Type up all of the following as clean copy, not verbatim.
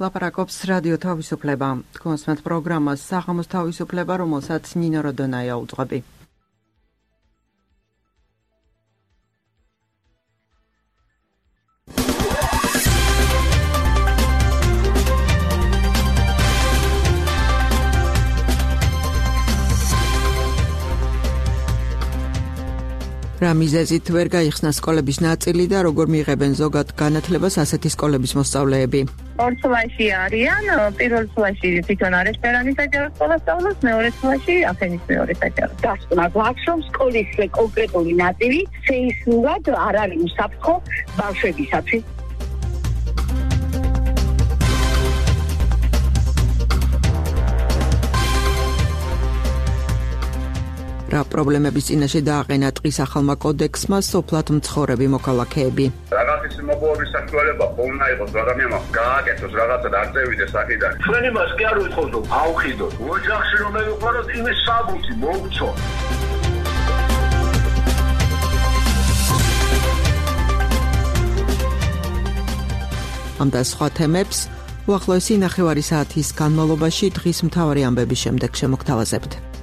ლაპარაკობს რადიო თავისუფლება. კონსმეთ პროგრამას საღამოს თავისუფლება, რომელსაც ნინო როდონაია უძღვები. რა მიზეზით ვერ გაიხსნა სკოლების ნაწილი და როგორ მიიღებენ ზოგად განათლებას ასეთი სკოლების მოსწავლეები? ორ წლაში არიან, პირველ წლაში თვითონ არესპერანის საჯარო სკოლა სწავლობს, მეორე წლაში აფენის მეორე საჯარო. დასკვნა გვაქვს, რომ სკოლის კონკრეტული ნაწილი სეისმურად არ არის უსაფრთხო ბავშვებისათვის. რა პრობლემების წინაშე დააყენა ტყის ახალმა კოდექსმა სოფლად მცხოვრები მოქალაქეები. რაღაცის მოპოვების საშუალება ხომ იყოს, ადამიანმა გააკეთოს რაღაცა და არ წევიდეს აქედან. ჩვენ იმას კი არ ვიტყოდთ, რომ ავხიდოთ. ოჯახში რომ მივიყვანოთ, იმის საბუთი მოვცო. ამ და სხვა თემებს უახლოესი ნახევარი საათის განმავლობაში დღის მთავარი ამბების შემდეგ შემოგთავაზებთ.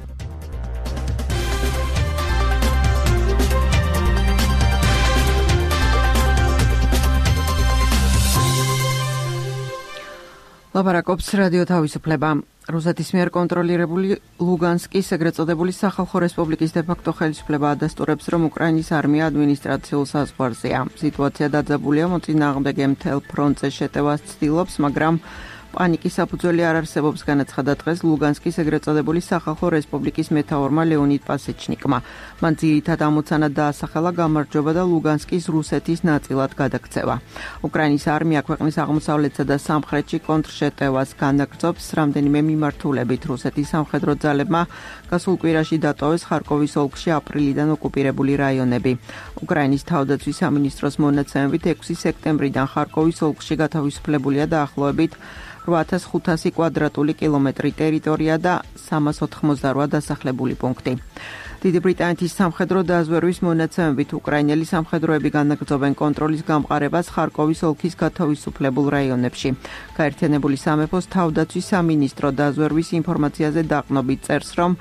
ლაპარაკობს რადიო თავისუფლება. რუსეთის მიერ კონტროლირებული ლუგანსკის ეგრეთ წოდებული სახალხო რესპუბლიკის დე-ფაქტო ხელისუფლება ადასტურებს, რომ უკრაინის არმია ადმინისტრაციულ საზღვარზეა. სიტუაცია დაძაბულია, მოწინააღმდეგე მთელ ფრონტზე შეტევას ცდილობს, მაგრამ პანიკის საფუძველი არ არსებობს, განაცხადა დღეს ლუგანსკის ეგრეთ წოდებული სახალხო რესპუბლიკის მეთაურმა ლეონიდ პასეჩნიკმა. მან ძირითად ამოცანა დაასახელა გამარჯვება და ლუგანსკის რუსეთის ნაწილად გადაქცევა. უკრაინის არმია ქვეყნის აღმოსავლეთსა და სამხრეთში კონტრშეტევას განაგრძობს, რამდენიმე მიმართულებით. რუსეთის სამხედრო ძალებმა გასულ კვირაში დატოვეს ხარკოვის ოლქში აპრილიდან ოკუპირებული რაიონები. უკრაინის თავდაცვის სამინისტროს მონაცემებით 6 სექტემბრიდან ხარკოვის ოლქში გათავისუფლებულია დაახლოებით 8500 კვადრატული კილომეტრი ტერიტორია და 388 დასახლებული პუნქტი. დიდი ბრიტანეთის სამხედრო დაზვერვის მონაცემებით უკრაინელი სამხედროები განაგრძობენ კონტროლის გამყარებას ხარკოვის ოლქის გათავისუფლებულ რაიონებში. გაერთიანებული სამეფოს თავდაცვის სამინისტრო დაზვერვის ინფორმაციაზე დაყნობით წერს, რომ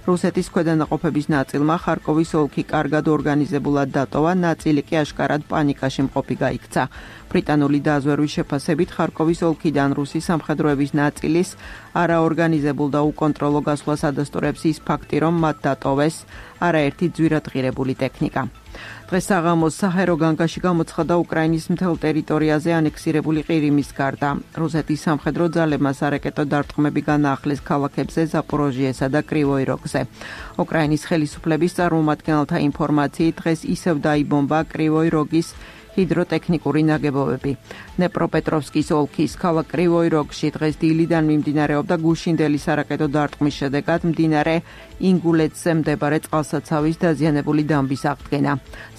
რუსეთის ქვედანაყოფების ნაწილმა ხარკოვის ოლქი კარგად ორგანიზებულად დატოვა, ნაწილი კი აშკარად პანიკაში მყოფი გაიქცა. ბრიტანული დაზვერვის შეფასებით ხარკოვის ოლქიდან რუსი სამხედროების ნაწილის არაორგანიზებულ და უკონტროლო გასვლას ადასტურებს ის ფაქტი, რომ მათ დატოვეს არაერთი ძვირადღირებული ტექნიკა. დღეს საღამოს საჰაერო განგაში გამოცხადა უკრაინის მთელ ტერიტორიაზე ანექსირებული ყირიმის გარდა. რუსეთის სამხედრო ძალებმა სარაკეტო დარტყმები განაახლეს ქალაქებზე ზაპოროჟიესა და კრივოი როგზე. უკრაინის ხელისუფლების წარმომადგენელთა ინფორმაციით დღეს ისევ დაიბომბა კრივოი როგის ჰიდროტექნიკური ნაგებობები. ნეპროპეტროვსკის ოლქის ქალაქ კრივოი როგში დღეს დილიდან მიმდინარეობდა გუშინდელი სარაკეტო დარტყმის შედეგად მდინარე ინგულეცზე მდებარე წყალსაცავის დაზიანებული დამბის აღდგენა.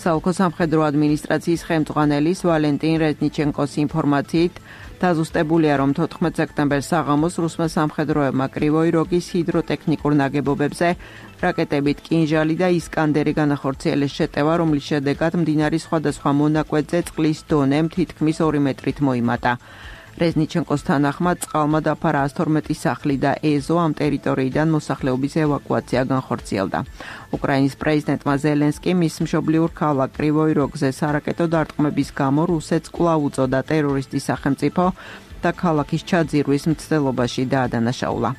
საოლქო სამხედრო ადმინისტრაციის ხელმძღვანელის ვალენტინ რეზნიჩენკოს ინფორმაციით დაზუსტებულია, რომ 14 სექტემბერს საღამოს რუსმა სამხედროებმა კრივოი როგის ჰიდროტექნიკურ ნაგებობებზე რაკეტებით კინჟალი და ისკანდერი განახორციელეს შეტევა, რომლის შედეგად მდინარის სხვადასხვა მონაკვეთზე წყლის დონე თითქმის 2 მეტრით მოიმატა. რეზნიჩენკოს თანახმად წყალმა დაფარა 112 სახლი და ეზო ამ ტერიტორიიდან მოსახლეობის ევაკუაცია განხორციელდა. უკრაინის პრეზიდენტმა ზელენსკი მის მშობლიურ ქალაქ კრივოი როგზე სარაკეტო დარტყმების გამო რუსეთს კვლავ უწოდა ტერორისტის სახელმწიფო და ქალაქის ჩაძირვის მცდელობაში დაადანაშაულა.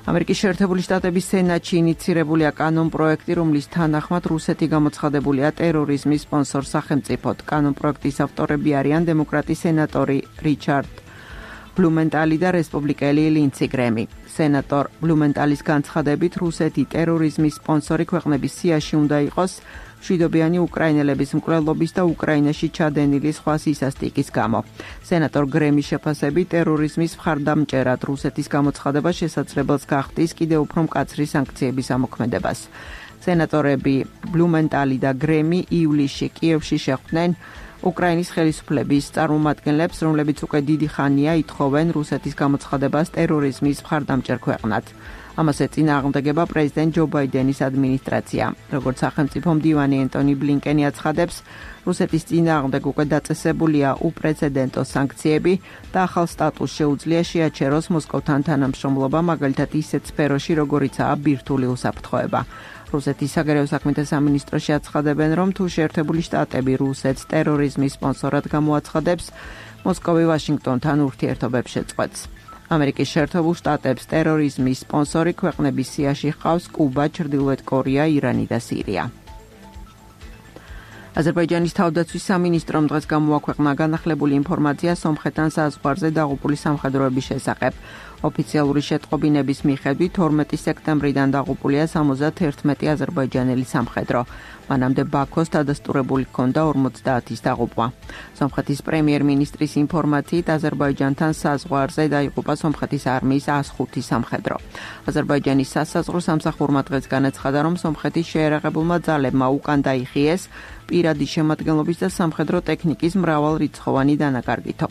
ამერიკის შეერთებული შტატების სენატში ინიცირებულია კანონპროექტი, რომლის თანახმად რუსეთი გამოცხადებულია ტერორიზმის სპონსორ სახელმწიფოდ. კანონპროექტის ავტორები არიან დემოკრატი სენატორი რიჩარდ ბლუმენტალი და რესპუბლიკელი ლინცი გრემი. სენატორ ბლუმენტალის განცხადებით რუსეთი ტერორიზმის სპონსორი ქვეყნების სიაში უნდა იყოს მშვიდობიანი უკრაინელების მკვლელობის და უკრაინაში ჩადენილი სხვა სისასტიკის გამო. სენატორ გრემის შეფასებით ტერორიზმის მხარდამჭერად რუსეთის გამოცხადება შესაძლებელს გახდის კიდევ უფრო მკაცრი სანქციების ამოქმედებას. სენატორები ბლუმენტალი და გრემი ივლისში კიევში შეხვდნენ უკრაინის ხელისუფლების წარმომადგენლებს, რომლებიც უკვე დიდი ხანია ითხოვენ რუსეთის გამოცხადებას ტერორიზმის მხარდამჭერ ქვეყნად. ამას ეწინააღმდეგება პრეზიდენტ ჯო ბაიდენის ადმინისტრაცია. როგორც სახელმწიფო მდივანი ენტონი ბლინკენი აცხადებს, რუსეთის წინააღმდეგ უკვე დაწესებულია უპრეცედენტო სანქციები და ახალ სტატუსს შეუძლია შეაჩეროს მოსკოვთან თანამშრომლობა, მაგალითად ისეთ სფეროში, როგორიცაა ბირთვული უსაფრთხოება. რუსეთის საგარეო საქმეთა სამინისტროში აცხადებენ, რომ თუ შეერთებული შტატები რუსეთს ტერორიზმის სპონსორად გამოაცხადებს, მოსკოვი ვაშინგტონთან ურთიერთობებს შეწყვეტს. ამერიკის შეერთებულ შტატებს ტერორიზმის სპონსორი ქვეყნების სიაში ჰყავს კუბა, ჩრდილოეთ კორეა, ირანი და სირია. აზერბაიჯანის თავდაცვის სამინისტრომ დღეს გამოაქვეყნა განახლებული ინფორმაცია სომხეთთან საზღვარზე დაღუპული სამხედროების შესახებ. ოფიციალური შეტყობინების მიხედვით 12 სექტემბრიდან დაღუპულია 71 აზერბაიჯანელი სამხედრო. მანამდე ბაქოს დადასტურებული ჰქონდა 50-ის დაღუპვა. სომხეთის პრემიერ-მინისტრის ინფორმაციით აზერბაიჯანთან საზღვარზე დაიღუპა სომხეთის არმიის 105 სამხედრო. აზერბაიჯანის სასაზღვრო სამსახურმა დღეს განაცხადა, რომ სომხეთის შეერაღებულმა ძალებმა უკან დაიხიეს პირადი შემადგენლობის და სამხედრო ტექნიკის მრავალრიცხოვანი დანაკარგითო.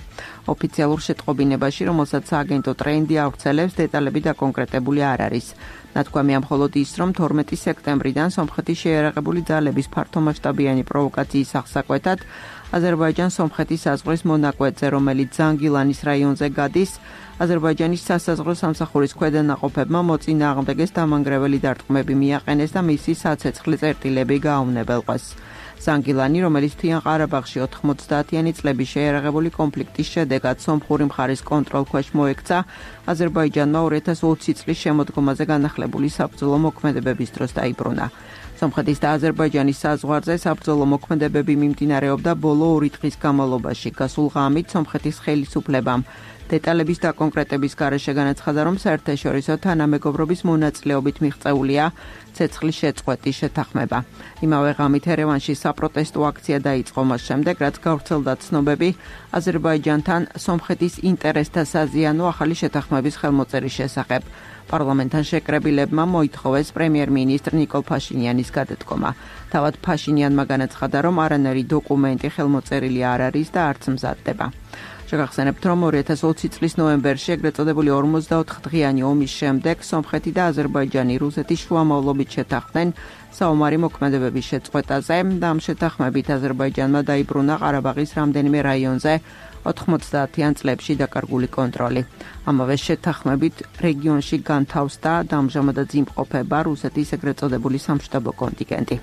ოფიციალურ შეტყობინებაში, რომელსაც სააგენტო ტრენდი ავრცელებს, დეტალები დაკონკრეტებული არ არის. ნათქვამია მხოლოდ ის, რომ 12 სექტემბრიდან სომხეთის შეერაღებული ძალების ფართომასშტაბიანი პროვოკაციის აღსაკვეთად აზერბაიჯან-სომხეთის საზღვრის მონაკვეთზე, რომელიც ზანგილანის რაიონზე გადის, აზერბაიჯანის სასაზღვრო სამსახურის ქვედანაყოფებმა მოწინააღმდეგეს დამანგრეველი დარტყმები მიაყენეს და მისი საცეცხლე წერტილები გააუნებელყვეს. ზანგილანი, რომელიც მთიან ყარაბაღში 90-იანი წლების შეერაღებული კონფლიქტის შედეგად სომხური მხარის კონტროლქვეშ მოექცა, აზერბაიჯანმა 2020 წლის შემოდგომაზე განახლებული საბრძოლო მოქმედებების დროს დაიბრუნა. სომხეთის და აზერბაიჯანის საზღვარზე საბრძოლო მოქმედებები მიმდინარეობდა ბოლო 2 დღის განმავლობაში. გასულ ღამით სომხეთის ხელისუფლებამ დეტალების დაკონკრეტების გარეშე განაცხადა, რომ საერთაშორისო თანამეგობრობის მონაწილეობით მიღწეულია ცეცხლის შეწყვეტის შეთანხმება. იმავე ღამით ერევანში საპროტესტო აქცია დაიწყო მას შემდეგ, რაც გავრცელდა ცნობები აზერბაიჯანთან სომხეთის ინტერესთა საზიანო ახალი შეთანხმების ხელმოწერის შესახებ. პარლამენტთან შეკრებილებმა მოითხოვეს პრემიერ-მინისტრ ნიკოლ ფაშინიანის გადადგომა. თავად ფაშინიანმა განაცხადა, რომ არანაირი დოკუმენტი ხელმოწერილი არ არის და არც მზადდება. შეგახსენებთ, რომ 2020 წლის ნოემბერში ეგრეთ წოდებული 44 დღიანი ომის შემდეგ სომხეთი და აზერბაიჯანი რუსეთის შუამავლობით შეთანხმდნენ საომარი მოქმედებების შეწყვეტაზე და ამ შეთანხმებით აზერბაიჯანმა დაიბრუნა ყარაბაღის რამდენიმე რაიონზე 90-იან წლებში დაკარგული კონტროლი. ამავე შეთანხმებით რეგიონში განთავსდა და ამჟამადაც იმყოფება რუსეთის ეგრეთ წოდებული სამშტაბო კონტინგენტი.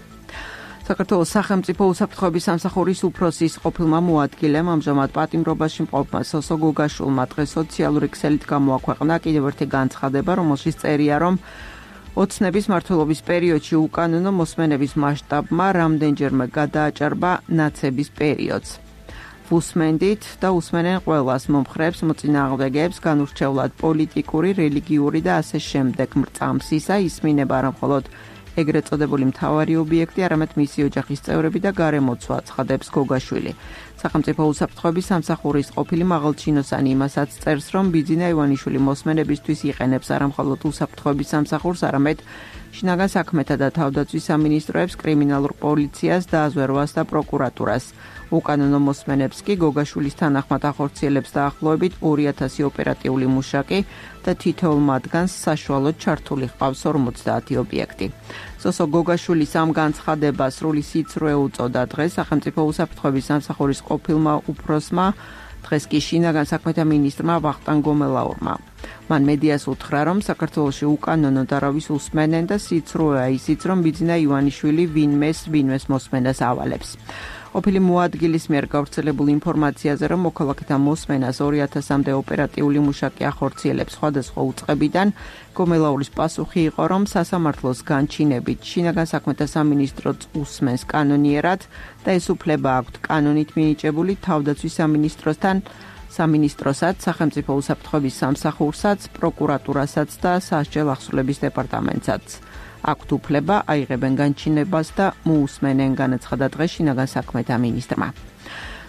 საქართველოს სახელმწიფო უსაფრთხოების სამსახურის უფროსის ყოფილმა მოადგილემ ამჟამად პატიმრობაში მყოფმა სოსო გოგაშვილმა დღეს სოციალური ქსელით გამოაქვეყნა კიდევ ერთი განცხადება, რომელშიც წერია, რომ ოცნების მმართველობის პერიოდში უკანონო მოსმენების მასშტაბმა რამდენჯერმე გადააჭარბა ნაცების პერიოდს. ვუსმენდით და უსმენენ ყველას მომხრეებს, მოწინააღმდეგეებს, განურჩევლად პოლიტიკური, რელიგიური და ასე შემდეგ მრწამს ისა ისმინება არა მხოლოდ ეგრეთ წოდებული მთავარი ობიექტი, არამედ მისი ოჯახის წევრები და გარემოცვა, ცხადებს გოგაშვილი. სახელმწიფო უსაფრთხოების სამსახურის ყოფილი მაღალჩინოსანი იმასაც წერს, რომ ბიძინა ივანიშვილი მოსმენებისთვის იყენებს არა მხოლოდ უსაფრთხოების სამსახურს, არამედ შინაგან საქმეთა და თავდაცვის სამინისტროებს, კრიმინალურ პოლიციას, დაზვერვას და პროკურატურას. უკანონო მოსმენებს კი გოგაშვილის თანახმად ახორციელებს დაახლოებით 2000 ოპერატიული მუშაკი და თითოეულ მათგანს საშუალოდ ჩართული ჰყავს 50 ობიექტი. სოსო გოგაშვილის ამ განცხადებას სრული სიცრუე უწოდა დღეს სახელმწიფო უსაფრთხოების სამსახურის ყოფილმა უფროსმა, დღეს კი შინაგან საქმეთა მინისტრმა ვახტანგ გომელაურმა. მან მედიას უთხრა, რომ საქართველოში უკანონო დარავის უსმენენ და სიცრუეა ისიც, რომ ბიძინა ივანიშვილი ვინმეს მოსმენას ავალებს. ყოფილი მოადგილის მიერ გავრცელებულ ინფორმაციაზე, რომ მოქალაქეთა მოსმენას 2000-მდე ოპერატიული მუშაკი ახორციელებს სხვადასხვა უწყებიდან, გომელაურის პასუხი იყო, რომ სასამართლოს განჩინებით შინაგან საქმეთა სამინისტროც უსმენს კანონიერად და ეს უფლება აქვთ კანონით მინიჭებული თავდაცვის სამინისტროსაც, სახელმწიფო უსაფრთხოების სამსახურსაც, პროკურატურასაც და სასჯელ ახსრულების დეპარტამენტსაც. აქვთ უფლება აიღებენ განჩინებას და მოусმენენ, განაცხადა დღეს შინაგან საქმეთა მინისტრმა.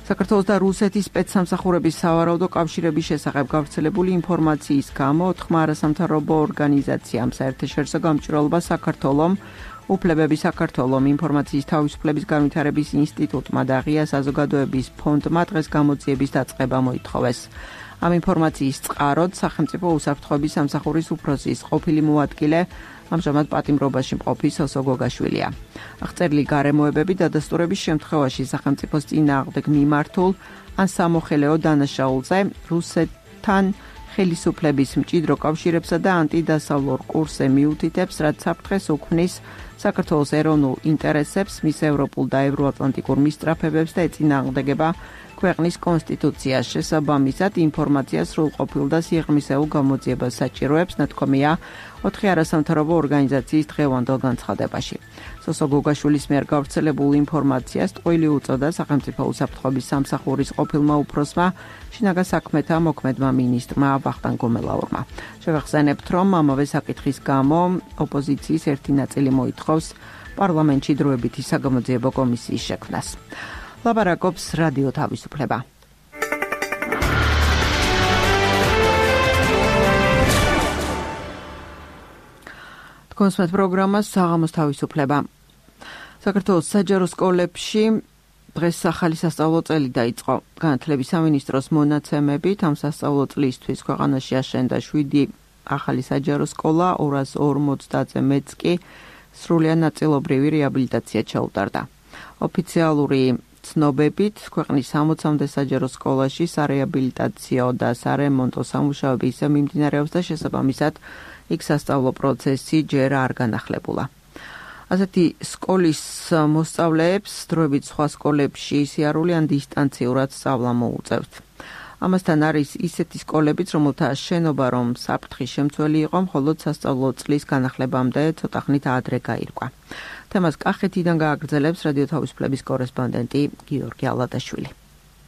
საქართველოს და რუსეთის სპეცსამსახურების სავარაუდო კავშირების შესახებ გავრცელებული ინფორმაციის გამო 4 არასამთავრობო ორგანიზაციამ საერთაშორისო გამჭვირვალობა საქართველომ, უფლებები საქართველომ, ინფორმაციის თავისუფლების განვითარების ინსტიტუტმა და ღია საზოგადოების ფონდმა დღეს გამოძიების დაწყება მოითხოვეს. ამ ინფორმაციის წყაროდ სახელმწიფო უსაფრთხოების სამსახურის უფროსის ყოფილი მოადგილე ამჟამად პატიმრობაში მყოფი სოსო გოგაშვილია. აღწერილი გარემოებები დადასტურების შემთხვევაში სახელმწიფოს წინააღმდეგ მიმართულ ან სამოხელეო დანაშაულზე რუსეთთან ხელისუფლების მჭიდრო კავშირებსა და ანტიდასავლურ კურსზე მიუთითებს, რაც საფრთხეს უქმნის საქართველოს ეროვნულ ინტერესებს, მის ევროპულ და ევროატლანტიკურ მისწრაფებებს და ეწინააღმდეგება ქვეყნის კონსტიტუციას. შესაბამისად, ინფორმაციას სრულყოფილ და სიღრმისეულ გამოძიებას საჭიროებს, ნათქვამია 4 არასამთავრობო ორგანიზაციის დღევანდელ განცხადებაში. სოსო გოგაშვილის მიერ გავრცელებულ ინფორმაციას ტყუილი უწოდა სახელმწიფო უსაფრთხოების სამსახურის ყოფილმა უფროსმა, შინაგან საქმეთა მოქმედმა მინისტრმა ვახტანგ გომელაურმა. შევახსენებთ, რომ ამავე საკითხის გამო ოპოზიციის ერთი ნაწილი მოითხოვს პარლამენტში დროებითი საგამოძიებო კომისიის შექმნას. ლაპარაკობს რადიო თავისუფლება. კონსმეთ პროგრამას საღამოს თავისუფლება. საქართველოს საჯარო სკოლებში დღეს ახალი სასწავლო წელი დაიწყო. განათლების სამინისტროს მონაცემებით ამ სასწავლო წლისთვის ქვეყანაში აშენდა 7 ახალი საჯარო სკოლა, 250-ზე მეტს კი სრულიად ნაწილობრივი რეაბილიტაცია ჩაუტარდა. ოფიციალური ცნობებით ქვეყნის 60-მდე საჯარო სკოლაში სარეაბილიტაციო და სარემონტო სამუშაოები ისე მიმდინარეობს და შესაბამისად იქ სასწავლო პროცესი ჯერ არ განახლებულა. ასეთი სკოლის მოსწავლეებს დროებით სხვა სკოლებში სიარული ან დისტანციურად სწავლა მოუწევთ. ამასთან არის ისეთი სკოლებიც, რომელთა შენობა რომ საფრთხის შემცველი იყო, მხოლოდ სასწავლო წლის განახლებამდე ცოტა ხნით ადრე გაირკვა. თემას კახეთიდან გააგრძელებს რადიო თავისუფლების კორესპონდენტი გიორგი ალადაშვილი.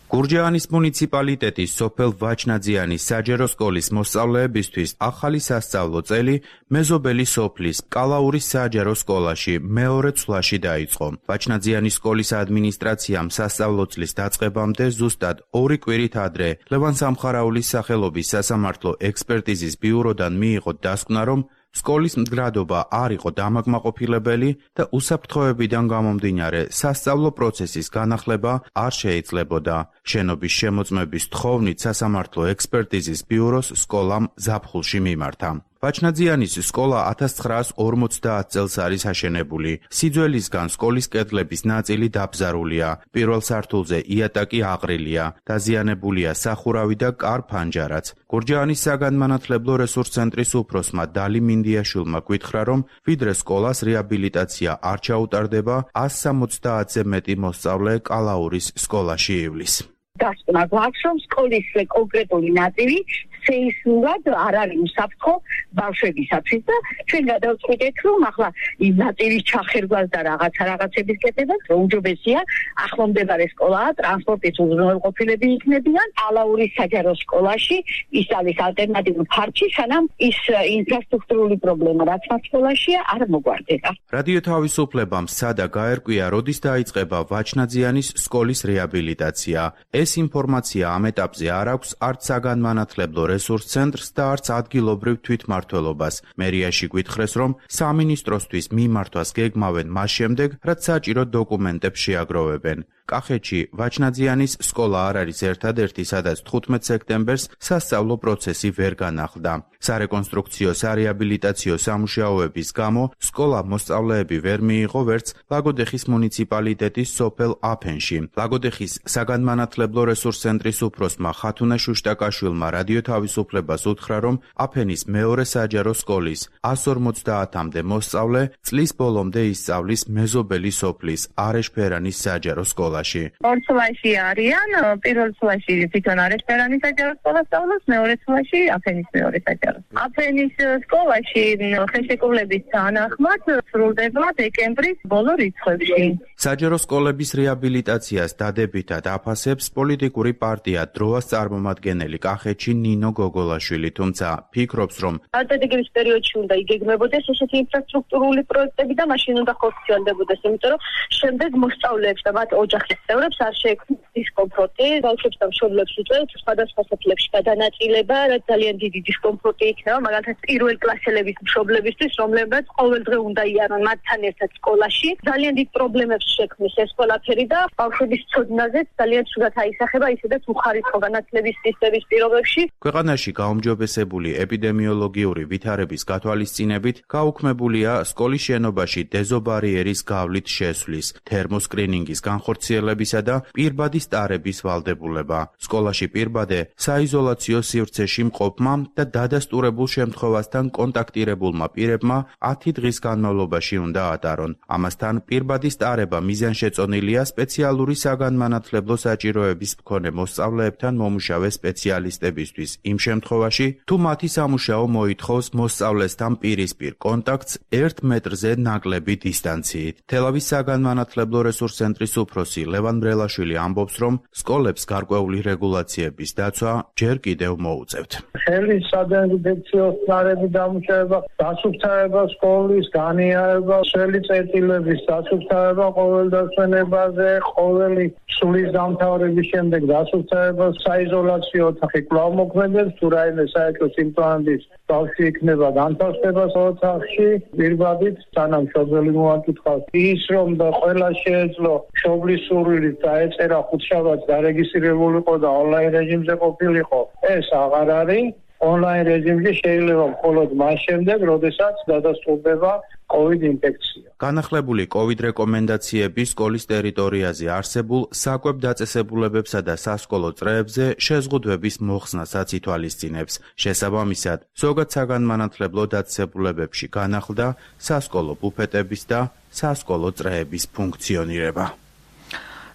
გურჯაანის მუნიციპალიტეტის სოფელ ვაჩნაძიანის საჯარო სკოლის მოსწავლეებისთვის ახალი სასწავლო წელი მეზობელი სოფლის კალაურის საჯარო სკოლაში მეორე ცვლაში დაიწყო. ვაჩნაძიანის სკოლის ადმინისტრაციამ სასწავლო წლის დაწყებამდე ზუსტად 2 კვირით ადრე ლევან სამხარაულის სახელობის სასამართლო ექსპერტიზის ბიუროდან მიიღო დასკვნა, რომ სკოლის მდგრადობა არ იყო დამაკმაყოფილებელი და უსაფრთხოებიდან გამომდინარე სასწავლო პროცესის განახლება არ შეიძლებოდა. შენობის შემოწმების თხოვნით სასამართლო ექსპერტიზის ბიუროს სკოლამ ზაფხულში მიმართა. ვაჩნაძიანის სკოლა 1950 წელს არის აშენებული. სიძველისგან სკოლის კედლების ნაწილი დაბზარულია. პირველ სართულზე იატაკი აყრილია. დაზიანებულია სახურავი და კარ-ფანჯარაც. გურჯაანის საგანმანათლებლო რესურს ცენტრის უფროსმა დალი მინდიაშვილმა გითხრა, რომ ვიდრე სკოლას რეაბილიტაცია არ ჩაუტარდება, 170-ზე მეტი მოსწავლე კალაურის სკოლაში ივლის. დასკვნა გვაქვს, რომ სკოლის კონკრეტული ნაწილი სეისმურად არ არის უსაფრთხო ბავშვებისათვის და ჩვენ გადავწყვიტეთ, რომ ახლა იმ ნაწილის ჩახერგვას და რაღაცების კეთებას უმჯობესია ახლომდებარე სკოლაა, ტრანსპორტის უზრუნველყოფილები იქნებიან კალაურის საჯარო სკოლაში, ის არის ალტერნატიულ ფარჩი, სანამ ის ინფრასტრუქტურული პრობლემა რაც მათ სკოლაშია არ მოგვარდება. რადიო თავისუფლებამ სცადა გაერკვია, როდის დაიწყება ვაჩნაძიანის სკოლის რეაბილიტაცია. ეს ინფორმაცია ამ ეტაპზე არ აქვს არც საგანმანათლებლო რესურს ცენტრს და არც ადგილობრივ თვითმმართველობას. მერიაში გითხრეს, რომ სამინისტროსთვის მიმართვას გეგმავენ მას შემდეგ, რაც საჭირო დოკუმენტებს შეაგროვებენ. კახეთში ვაჩნაძიანის სკოლა არ არის ერთადერთი, სადაც 15 სექტემბერს სასწავლო პროცესი ვერ განახლდა. სარეკონსტრუქციო სარეაბილიტაციო სამუშაოების გამო სკოლა მოსწავლეები ვერ მიიღო ვერც ლაგოდეხის მუნიციპალიტეტის სოფელ აფენში. ლაგოდეხის საგანმანათლებლო რესურს ცენტრის უფროსმა ხათუნა შუშტაკაშვილმა რადიო თავისუფლებას უთხრა, რომ აფენის მეორე საჯარო სკოლის 150-მდე მოსწავლე წლის ბოლომდე ისწავლის მეზობელი სოფლის არეშფერანის საჯარო სკოლაში. ორ ცვლაში არიან, პირველ ცვლაში თვითონ არეშფერანის საჯარო სკოლა სწავლობს, მეორე ცვლაში აფენის მეორე საჯარო. აფენის სკოლაში ხელშეკრულების თანახმად სრულდება დეკემბრის ბოლო რიცხვებში. საჯარო სკოლების რეაბილიტაციას დადებითად აფასებს პოლიტიკური პარტია დროას წარმომადგენელი კახეთში ნინო ნინო გოგოლაშვილი, თუმცა ფიქრობს, რომ სტრატეგიის პერიოდში უნდა იგეგმებოდეს ესეთი ინფრასტრუქტურული პროექტები და მაშინ უნდა ხორციელდებოდეს, იმიტომ რომ შემდეგ მოსწავლეებს და მათ ოჯახის წევრებს არ შეექმნათ დისკომფორტი, ბავშვებს და მშობლებს უწევთ სხვადასხვა საფლებში გადანაწილება, რაც ძალიან დიდი დისკომფორტი იქნება, მაგალითად პირველ კლასელების მშობლებისთვის, რომლებიც ყოველდღე უნდა იარონ მათთან ერთად სკოლაში. ძალიან დიდ პრობლემებს შექმნის ეს ყველაფერი და ბავშვების ცოდნაზე ძალიან ცუდად აისახება ისედაც უხარისხო განათლების სისტემის პირობებში. ქვეყანაში გაუმჯობესებული ეპიდემიოლოგიური ვითარების გათვალისწინებით გაუქმებულია სკოლის შენობაში დეზობარიერის გავლით შესვლის, თერმოსკრინინგის განხორციელებისა და პირბადის ტარების ვალდებულება. სკოლაში პირბადე საიზოლაციო სივრცეში მყოფმა და დადასტურებულ შემთხვევასთან კონტაქტირებულმა პირებმა 10 დღის განმავლობაში უნდა ატარონ. ამასთან პირბადის ტარება მიზანშეწონილია სპეციალური საგანმანათლებლო საჭიროების მქონე მოსწავლეებთან მომუშავე სპეციალისტებისთვის იმ შემთხვევაში, თუ მათი სამუშაო მოითხოვს მოსწავლესთან პირისპირ კონტაქტს 1 მეტრზე ნაკლები დისტანციით. თელავის საგანმანათლებლო რესურს ცენტრის უფროსი ლევან ბრელაშვილი ამბობს, რომ სკოლებს გარკვეული რეგულაციების დაცვა ჯერ კიდევ მოუწევთ. ხელის სადეზინფექციო სარები დამუშავება, დასუფთავება სკოლის, განიარება, სველი წერტილების დასუფთავება ყოველ დასვენებაზე, ყოველი სულის დამთავრების შემდეგ დასუფთავება, საიზოლაციო ოთახი კვლავ მოქმედებს, თუ რაიმე საერთო სიმპტომების ბავშვი იქნება განთავსება ოთახში, პირბადით, სანამ მშობელი მოაკითხავს. ის რომ და ყველა შეეძლო მშობლის სურვილით დაეწერა ხუთშაბათს დარეგისტრირებული იყო და ონლაინ რეჟიმზე ყოფილიყო, ეს აღარ არის. ონლაინ რეჟიმში შეიძლება მხოლოდ მას შემდეგ, როდესაც დადასტურდება COVID ინფექცია. განახლებული COVID რეკომენდაციები სკოლის ტერიტორიაზე არსებულ საკვებ დაწესებულებებსა და სასკოლო წრეებზე შეზღუდვების მოხსნასაც ითვალისწინებს. შესაბამისად, ზოგად საგანმანათლებლო დაწესებულებებში განახლდა სასკოლო ბუფეტების და სასკოლო წრეების ფუნქციონირება.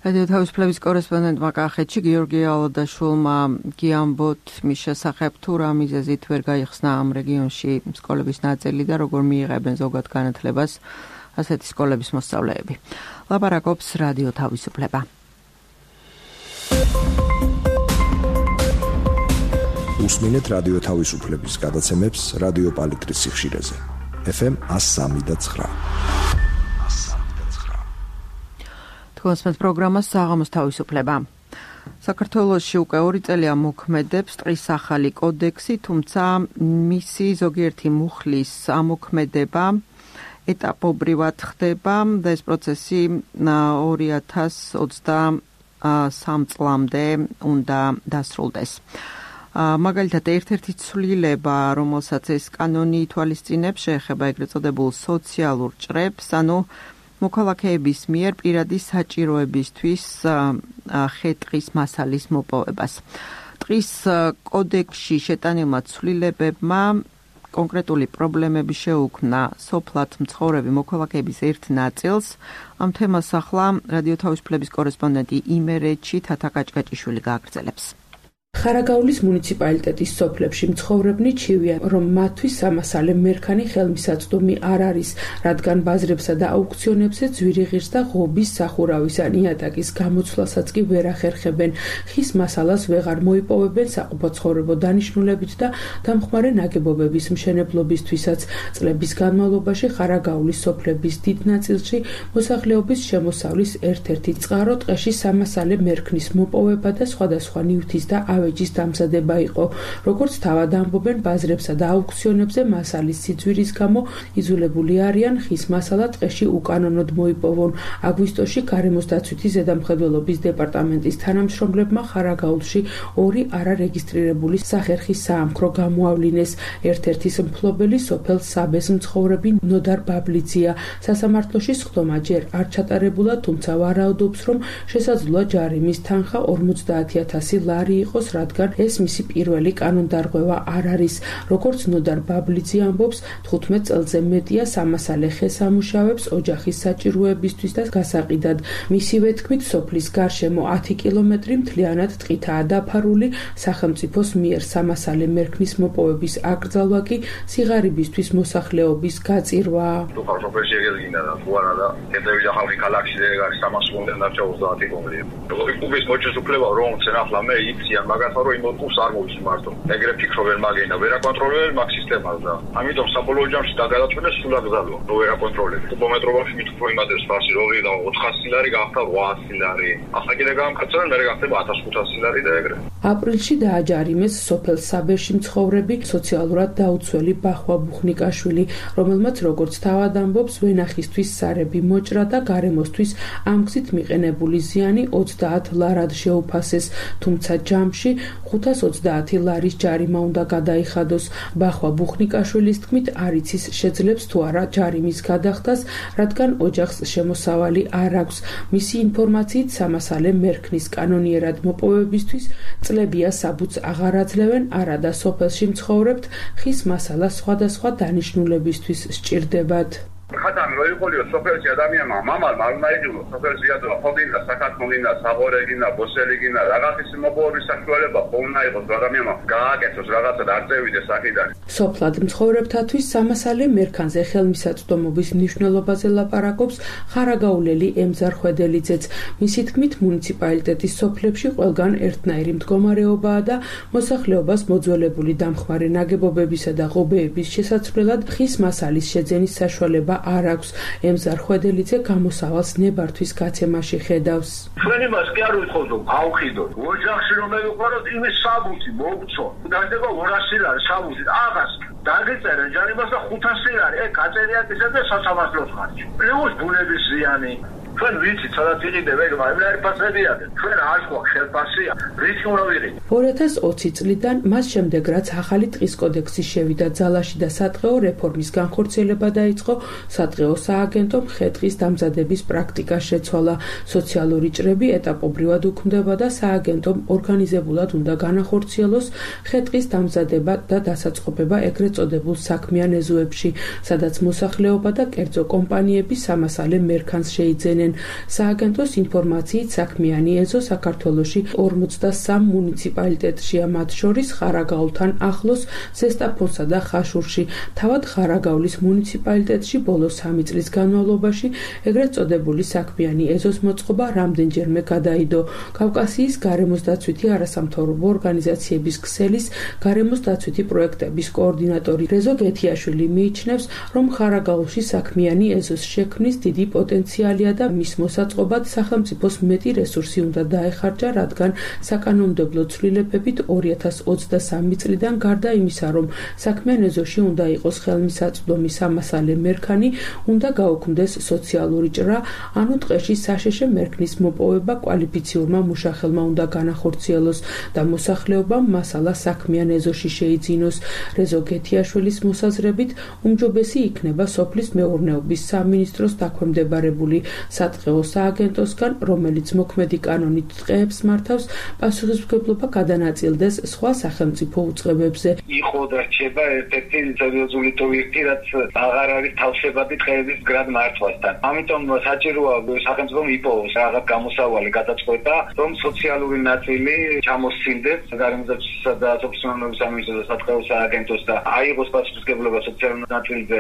რადიო თავისუფლების კორესპონდენტმა კახეთში გიორგი ალადაშვილმა გიამბოთ მის შესახებ თუ რა მიზეზით ვერ გაიხსნა ამ რეგიონში სკოლების ნაწილი და როგორ მიიღებენ ზოგად განათლებას ასეთი სკოლების მოსწავლეები. ლაპარაკობს რადიო თავისუფლება. უსმინეთ რადიო თავისუფლების გადაცემებს რადიო პალიტრის სიხშირეზე. FM 103.9. კონსპენს პროგრამას საღამოს თავისუფლება. საქართველოში უკვე 2 წელია მოქმედებს ტყის ახალი კოდექსი, თუმცა მისი ზოგიერთი მუხლის ამოქმედება ეტაპობრივად ხდება და ეს პროცესი 2023 წლამდე უნდა დასრულდეს. მაგალითად, ერთ-ერთი ცვლილება, რომელსაც ეს კანონი ითვალისწინებს, შეეხება ეგრეთ წოდებულ სოციალურ ჭრებს, ანუ მოქალაქეების მიერ პირადი საჭიროებისთვის ხე-ტყის მასალის მოპოვებას. ტყის კოდექსში შეტანილმა ცვლილებებმა კონკრეტული პრობლემები შეუქმნა სოფლად მცხოვრები მოქალაქეების ერთ ნაწილს. ამ თემას ახლა რადიო თავისუფლების კორესპონდენტი იმერეთში თათა კაჭკაჭიშვილი გააგრძელებს. ხარაგაულის მუნიციპალიტეტის სოფლებში მცხოვრებნი ჩივიან, რომ მათთვის სამასალე მერქანი ხელმისაწვდომი არ არის, რადგან ბაზრებსა და აუქციონებზე ძვირიღირს და ღობის სახურავის ან იატაკის გამოცვლასაც კი ვერ ახერხებენ. ხის მასალას ვეღარ მოიპოვებენ საყოფაცხოვრებო დანიშნულებით და დამხმარე ნაგებობების მშენებლობისთვისაც. წლების განმავლობაში ხარაგაულის სოფლების დიდ ნაწილში მოსახლეობის შემოსავლის ერთ-ერთი წყარო ტყეში სამასალე მერქნის მოპოვება და სხვადასხვა ნივთის და ავეჯის დამზადება იყო. როგორც თავად ამბობენ, ბაზრებსა და აუქციონებზე მასალის სიძვირის გამო იძულებული არიან ხის მასალა ტყეში უკანონოდ მოიპოვონ. აგვისტოში გარემოს დაცვითი ზედამხედველობის დეპარტამენტის თანამშრომლებმა ხარაგაულში 2 არარეგისტრირებული სახერხის საამქრო გამოავლინეს. ერთ-ერთის მფლობელი სოფელ საბეს მცხოვრები ნოდარ ბაბლიძია. სასამართლოში სხდომა ჯერ არ ჩატარებულა, თუმცა ვარაუდობს, რომ შესაძლოა ჯარიმის თანხა 50,000 ლარი იყოს, რადგან ეს მისი პირველი კანონდარღვევა არ არის. როგორც ნოდარ ბაბლიძე ამბობს, 15 წელზე მეტია სამასალე ხეს ამუშავებს ოჯახის საჭიროებისთვის და გასაყიდად. მისივე თქმით, სოფლის გარშემო 10 კილომეტრი მთლიანად ტყითაა დაფარული. სახელმწიფოს მიერ სამასალე მერქნის მოპოვების აკრძალვა კი სიღარიბისთვის მოსახლეობის გაწირვა. თუ სოფელში ეგელინა და თუ არა და კედები და ხალხი ქალაქში ეგ არის 300 დარჩა 30 კომპლექტი. როგორი კუბის მოჭის უფლება რომ ცენ ახლა მე იციან, მაგრამ მაგათო რომ იმ ოთხს არ მოვისმართო. ეგრე ფიქრო ვერ მაგენა, ვერ აკონტროლებ მაგ სისტემას და ამიტომ საბოლოო ჯამში დაგადაწყვეტეს სულ აკრძალვა, რომ ვერ აკონტროლებ. კუბომეტრობაში მით უფრო იმადებს ფასი როგორი და 400 ლარი გახდა 800 ლარი. ახლა კიდე გამკაცრენ, მე გახდება 1500 ლარი და ეგრე. აპრილში დააჯარიმეს სოფელ საბერში მცხოვრები სოციალურად დაუცველი ბახვა ბუხნიკაშვილი, რომელმაც როგორც თავად ამბობს, ვენახისთვის სარები მოჭრა და გარემოსთვის ამ გზით მიყენებული ზიანი 30 ლარად შეუფასეს, თუმცა ჯამში 530 ლარის ჯარიმა უნდა გადაიხადოს. ბახვა ბუხნიკაშვილის თქმით, არ იცის შეძლებს თუ არა ჯარიმის გადახდას, რადგან ოჯახს შემოსავალი არ აქვს. მისი ინფორმაციით სამასალე მერქნის კანონიერად მოპოვებისთვის წლებია საბუთს აღარ აძლევენ, არადა სოფელში მცხოვრებთ ხის მასალა სხვადასხვა დანიშნულებისთვის სჭირდებათ. ხათამი რო იყოლიო სოფელში ადამიანმა მამალ მარუნაიჯულო სოფელში ядო ხოგინდა საქართველოსინა საღორეგინა ბოსელიგინა რაღაცის მოპოვების საშუალება ხომ აიღოს ადამიანმა გააკეთოს რაღაცა და არ წევიდეს აქედან. სოფლად მცხოვრებთათვის სამასალე მერქანზე ხელმისაწვდომობის მნიშვნელობაზე ლაპარაკობს ხარაგაულელი ემზარ ხვედელიძეც. მისი თქმით, მუნიციპალიტეტის სოფლებში ყველგან ერთნაირი მდგომარეობაა და მოსახლეობას მოძველებული დამხმარე ნაგებობებისა და ღობეების შესაცვლელად ხის მასალის შეძენის საშუალება არ აქვს. ემზარ ხვედელიძე გამოსავალს ნებართვის გაცემაში ხედავს. ჩვენ იმას კი არ ვიტყოდთ, რომ ავხიდოთ. ოჯახში რომ მივიყვაროთ, იმის საბუთი მოგცო. დადება 200 ლარი საბუთი. აღას დაგეწერენ ჯარიმას და 500 ლარი. გაწერია ისე და სასამართლოს ხარჯი. პლუს ბუნების ზიანი. ჩვენ ვიცით, სადაც იყიდებ, ეგ მაგრამ ფასებია. ჩვენ არ გვაქვს ხელფასია. რითი უნდა ვიყიდე? 2020 წლიდან მას შემდეგ, რაც ახალი ტყის კოდექსი შევიდა ძალაში და სატყეო რეფორმის განხორციელება დაიწყო, სატყეო სააგენტომ ხე-ტყის დამზადების პრაქტიკა შეცვალა. სოციალური ჭრები ეტაპობრივად უქმდება და სააგენტომ ორგანიზებულად უნდა განახორციელოს ხე-ტყის დამზადება და დასაწყობება ეგრეთ წოდებულ საქმიან ეზოებში, სადაც მოსახლეობა და კერძო კომპანიები სამასალე მერქანს შეიძენენ. სააგენტოს ინფორმაციით საქმიანი ეზო საქართველოში 43 მუნიციპალიტეტშია, მათ შორის ხარაგაულთან ახლოს, ზესტაფონსა და ხაშურში. თავად ხარაგაულის მუნიციპალიტეტში ბოლო 3 წლის განმავლობაში ეგრეთ წოდებული საქმიანი ეზოს მოწყობა რამდენჯერმე გადაიდო. კავკასიის გარემოს დაცვითი არასამთავრობო ორგანიზაციების ქსელის გარემოს დაცვითი პროექტების კოორდინატორი რეზო გეთიაშვილი მიიჩნევს, რომ ხარაგაულში საქმიანი ეზოს შექმნის დიდი პოტენციალია და მის მოსაწყობად სახელმწიფოს მეტი რესურსი უნდა დაეხარჯა, რადგან საკანონმდებლო ცვლილებებით 2023 წლიდან გარდა იმისა, რომ საქმიან ეზოში უნდა იყოს ხელმისაწვდომი სამასალე მერქანი, უნდა გაუქმდეს სოციალური ჭრა, ანუ ტყეში საშეშე მერქნის მოპოვება კვალიფიციურმა მუშახელმა უნდა განახორციელოს და მოსახლეობამ მასალა საქმიან ეზოში შეიძინოს. რეზო გეთიაშვილის მოსაზრებით, უმჯობესი იქნება სოფლის მეურნეობის სამინისტროს დაქვემდებარებული სატყეო სააგენტოსგან, რომელიც მოქმედი კანონით ტყეებს მართავს, პასუხისმგებლობა გადანაწილდეს სხვა სახელმწიფო უწყებებზე. იყო და რჩება ერთ-ერთი სერიოზული პროექტი, რაც აღარ არის თავშებადი ტყეების გრად მართვასთან. ამიტომ საჭიროა სახელმწიფომ იპოვოს რაღაც გამოსავალი გადაწყვეტა, რომ სოციალური ნაწილი ჩამოსცილდეს გარემოსდაცვისა და სოფლის სამინისტროს და სატყეო სააგენტოს და აიღოს პასუხისმგებლობა სოციალურ ნაწილზე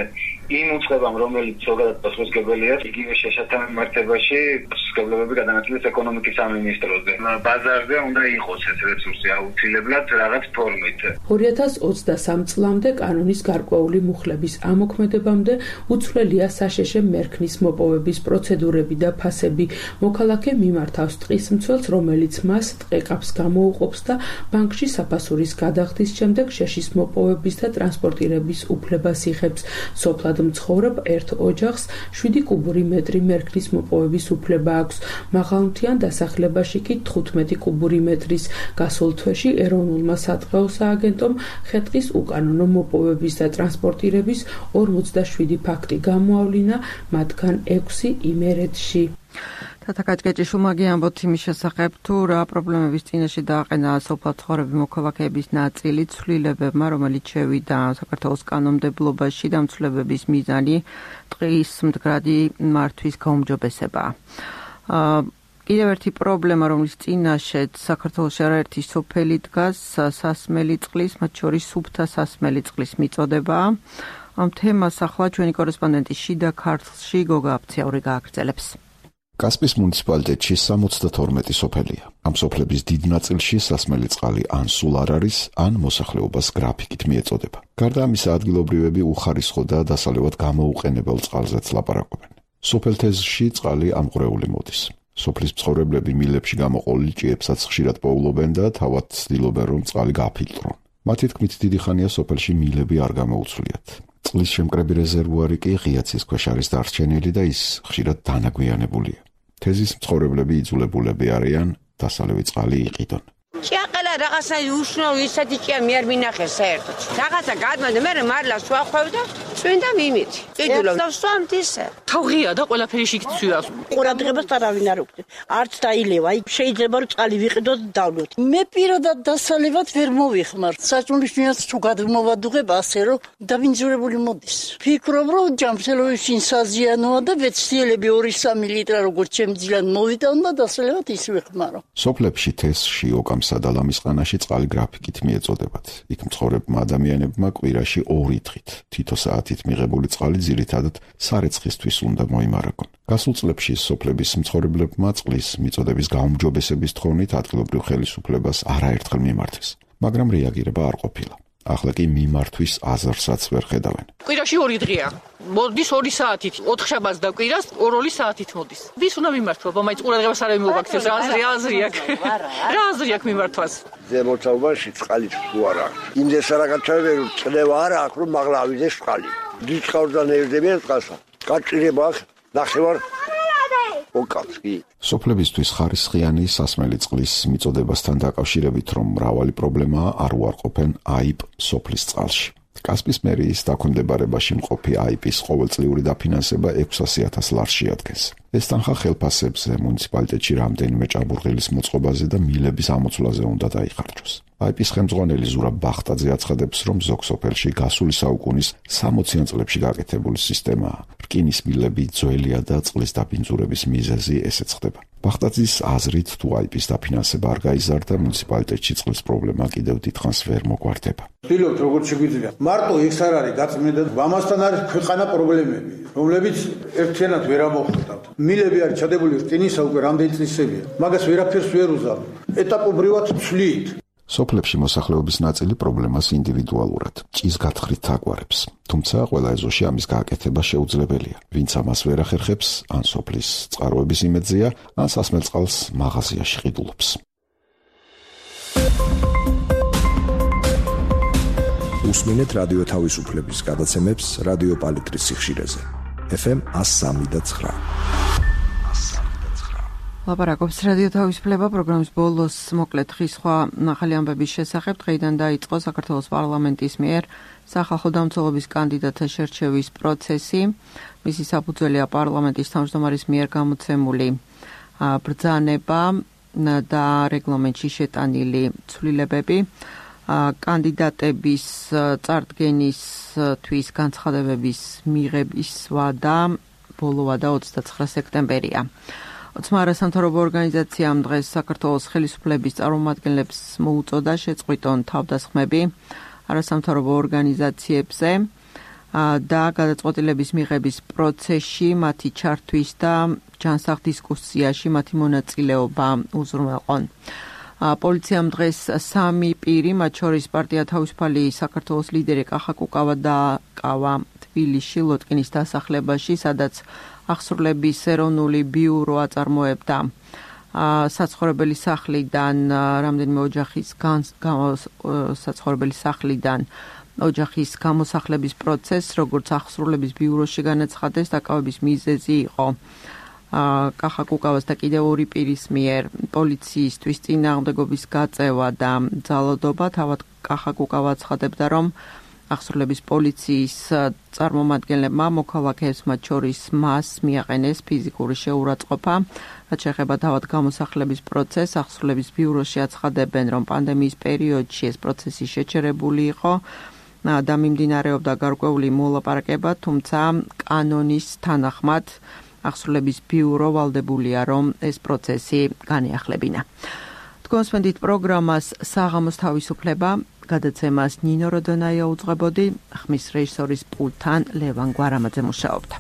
იმ უწყებამ, რომელიც ზოგადად პასუხისმგებელია, იგივე შეშათა მიმართებაში პასუხისმგებლობები გადანაწილდეს ეკონომიკის სამინისტროზე. ბაზარზე უნდა იყოს ეს რესურსი აუცილებლად რაღაც ფორმით. 2023 წლამდე კანონის გარკვეული მუხლების ამოქმედებამდე უცვლელია საშეშე მერქნის მოპოვების პროცედურები და ფასები. მოქალაქე მიმართავს ტყის მცველს, რომელიც მას ტყეყაფს გამოუყოფს და ბანკში საფასურის გადახდის შემდეგ შეშის მოპოვების და ტრანსპორტირების უფლებას იღებს. სოფლად მცხოვრებ ერთ ოჯახს 7 კუბური მეტრი მერქნის მოპოვების უფლება აქვს. მაღალმთიან დასახლებაში კი 15 კუბური მეტრის. გასულ თვეში ეროვნულმა სატყეო სააგენტომ ხე-ტყის უკანონო მოპოვების და ტრანსპორტირების 47 ფაქტი გამოავლინა, მათგან 6 იმერეთში. თათაკაჭკეჭიშვილმა გიამბოთ იმის შესახებ, თუ რა პრობლემების წინაშე დააყენა სოფლად მცხოვრები მოქალაქეების ნაწილი ცვლილებებმა, რომელიც შევიდა საქართველოს კანონმდებლობაში და ცვლილებების მიზანი ტყის მდგრადი მართვის გაუმჯობესება. კიდევ ერთი პრობლემა, რომლის წინაშეც საქართველოში არაერთი სოფელი დგას, სასმელი წყლის, მათ შორის სუფთა სასმელი წყლის მიწოდება. ამ თემას ახლა ჩვენი კორესპონდენტი შიდა ქართლში გოგა აფციაური გააგრძელებს. კასპის მუნიციპალიტეტში 72 სოფელია. ამ სოფლების დიდ ნაწილში სასმელი წყალი ან სულ არ არის, ან მოსახლეობას გრაფიკით მიეწოდება. გარდა ამისა, ადგილობრივები უხარისხო და დასალევად გამოუყენებელ წყალზეც ლაპარაკობენ. სოფელთეზში წყალი ამღვრეული მოდის. სოფლის მცხოვრებლები მილებში გამოყოლილ ჭიებსაც ხშირად პოულობენ და თავად ცდილობენ, რომ წყალი გაფილტრონ. მათი თქმით, დიდი ხანია სოფელში მილები არ გამოუცვლიათ. წყლის შემკრები რეზერვუარი კი ღია ცის ქვეშ არის დარჩენილი და ის ხშირად დანაგვიანებულია. თეზის მცხოვრებლები იძულებულები არიან დასალევი წყალი იყიდონ. ჭიაყელა რაღაცა უშნო ისეთი ჭია მე არ მინახე საერთოდ. რაღაცა გადმოდა მე მარლას ვახვევდა, წვინდა მიმით. კიდულო დავსვამთ ისე. თავღია და ყველაფერი შიგცვიას. ყურადღებას არავინ არ უქცევს. არც დაილევა, აი შეიძლება რომ წყალი ვიყიდოთ და დავლოთ. მე პირადად დასალევად ვერ მოვიხმარ. საჭმლის თუ გადმოვადუღებ ასე რომ დაბინძურებული მოდის. ფიქრობ რომ ჯამსელოვში საზიანოა და ვეცდიელები 2-3 ლიტრა როგორც შემძლიან მოვიტან და დასალევად ის ვიხმარო. სოფლებში თესში ოკამსა და ლამისყანაში წყალი გრაფიკით მიეწოდებათ. იქ მცხოვრებმა ადამიანებმა კვირაში 2 დღით თითო საათით მიღებული წყალი ძირითადად სარეცხისთვის უნდა მოიმარაგონ. გასულ წლებში სოფლების მცხოვრებლებმა წყლის მიწოდების გაუმჯობესების თხოვნით ადგილობრივ ხელისუფლებას არაერთხელ მიმართეს, მაგრამ რეაგირება არ ყოფილა. ახლა კი მიმართვის აზრსაც ვერ ხედავენ. კვირაში 2 დღეა. მოდის 2 საათით, 4 შაბათს და კვირას 2 საათით მოდის. ვის უნდა მიმართვა? მაინც ყურადღებას არ მოვაქცევს, რა აზრი აქვს მიმართვას. ზემოწაობაში წყალი თუ არა. იმდეს რაღაცა ვერ წნევა არა აქვს რომ მაღლა ავიდეს წყალი. დიწყავდა ნერდებიან წყალსა. გაჭირება აქვს ნახევარ ოკავსკი. სოფლებისთვის ხარისხიანი სასმელი წყლის მიწოდებასთან დაკავშირებით, რომ მრავალი პრობლემაა, არ უარყოფენ აიპ სოფლის წყალში. კასპის მერიის დაქვემდებარებაში მყოფი აიპის ყოველწლიური დაფინანსება 600,000 ლარს შეადგენს. ეს თანხა ხელფასებზე, მუნიციპალიტეტში რამდენიმე ჭაბურღილის მოწყობაზე და მილების ამოცვლაზე უნდა დაიხარჯოს. აიპის ხელმძღვანელი ზურაბ ბახტაძე აცხადებს, რომ ზოგ სოფელში გასული საუკუნის 60-იან წლებში გაკეთებული სისტემაა. რკინის მილები ძველია და წყლის დაბინძურების მიზეზი ესეც ხდება. ბახტაძის აზრით, თუ აიპის დაფინანსება არ გაიზარდა, მუნიციპალიტეტში წყლის პრობლემა კიდევ დიდხანს ვერ მოგვარდება. ვთქვით, როგორც შეგვიძლია. მარტო ეს არ არის გაწმენდა, ამასთან არის ქვეყანა პრობლემები, რომლებიც ერთიანად ვერ ამოხვდათ. მილები არის ჩადებული რკინისა უკვე რამდენი წლისებია, მაგას ვერაფერს ვერ უზავთ. ეტაპობრივად ვცვლით. სოფლებში მოსახლეობის ნაწილი პრობლემას ინდივიდუალურად, ჭის გათხრით აგვარებს. თუმცა ყველა ეზოში ამის გააკეთება შეუძლებელია. ვინც ამას ვერ ახერხებს, ან სოფლის წყაროების იმედზეა, ან სასმელ წყალს მაღაზიაში ყიდულობს. უსმინეთ რადიო თავისუფლების გადაცემებს რადიო პალიტრის სიხშირეზე. FM 103.9. ლაპარაკობს რადიო თავისუფლება პროგრამის ბოლოს მოკლედ ხის სხვა ახალი ამბების შესახებ. დღეიდან დაიწყო საქართველოს პარლამენტის მიერ სახალხო დამცველობის კანდიდატთა შერჩევის პროცესი. მისი საფუძველია პარლამენტის თავმჯდომარის მიერ გამოცემული ბრძანება და რეგლამენტში შეტანილი ცვლილებები. კანდიდატების წარდგენისთვის განცხადებების მიღების ვადა ბოლოვადა 29 სექტემბერია. ოცმა არასამთავრობო ორგანიზაციამ დღეს საქართველოს ხელისუფლების წარმომადგენლებს მოუწოდა შეწყვიტონ თავდასხმები არასამთავრობო ორგანიზაციებზე და გადაწყვეტილების მიღების პროცესში მათი ჩართვის და ჯანსაღ დისკუსიაში მათი მონაწილეობა უზრუნველყონ. პოლიციამ დღეს 3 პირი, მათ შორის პარტია თავისუფალი საქართველოს ლიდერი კახა კუკავა დააკავა თბილისში ლოტკინის დასახლებაში, სადაც აღსრულების ეროვნული ბიურო აწარმოებდა საცხოვრებელი სახლიდან რამდენიმე ოჯახის გამოსახლების პროცესს, როგორც აღსრულების ბიუროში განაცხადეს, დაკავების მიზეზი იყო კახა კუკავას და კიდევ 2 პირის მიერ პოლიციისთვის წინააღმდეგობის გაწევა და ძალადობა. თავად კახა კუკავა აცხადებდა, რომ აღსრულების პოლიციის წარმომადგენლებმა მოქალაქეებს, მათ შორის მას, მიაყენეს ფიზიკური შეურაცხყოფა. რაც შეეხება თავად გამოსახლების პროცესს, აღსრულების ბიუროში აცხადებენ, რომ პანდემიის პერიოდში ეს პროცესი შეჩერებული იყო და მიმდინარეობდა გარკვეული მოლაპარაკება, თუმცა კანონის თანახმად აღსრულების ბიურო ვალდებულია, რომ ეს პროცესი განეახლებინა. თქვენსმენდით პროგრამას საღამოს თავისუფლება, გადაცემას ნინო როდონაია უძღვებოდი, ხმის რეჟისორის პულტთან ლევან გვარამაძე მუშაობდა.